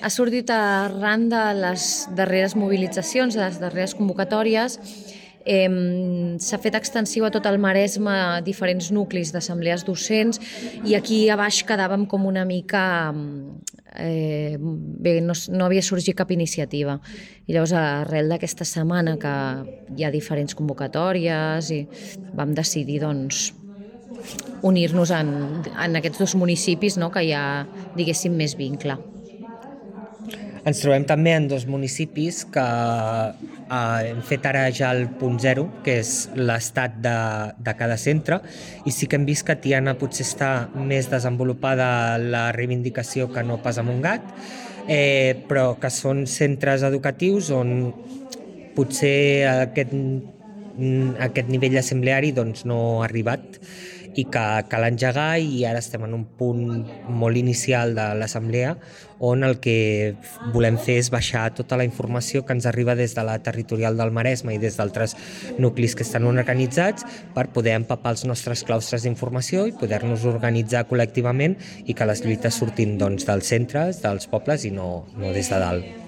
Ha sortit arran de les darreres mobilitzacions, de les darreres convocatòries. S'ha fet extensiu a tot el Maresme a diferents nuclis d'assemblees docents i aquí a baix quedàvem com una mica... bé, no havia sorgit cap iniciativa. I llavors, arrel d'aquesta setmana que hi ha diferents convocatòries, i vam decidir unir-nos en aquests dos municipis, no?, que hi ha, diguéssim, més vincle. Ens trobem també en dos municipis que hem fet ara ja el punt zero, que és l'estat de cada centre, i sí que hem vist que a Tiana potser està més desenvolupada la reivindicació que no pas a Montgat, però que són centres educatius on potser aquest nivell assembleari no ha arribat i que cal engegar, i ara estem en un punt molt inicial de l'assemblea on el que volem fer és baixar tota la informació que ens arriba des de la territorial del Maresme i des d'altres nuclis que estan organitzats per poder empapar els nostres claustres d'informació i poder-nos organitzar col·lectivament i que les lluites surtin dels centres, dels pobles i no des de dalt.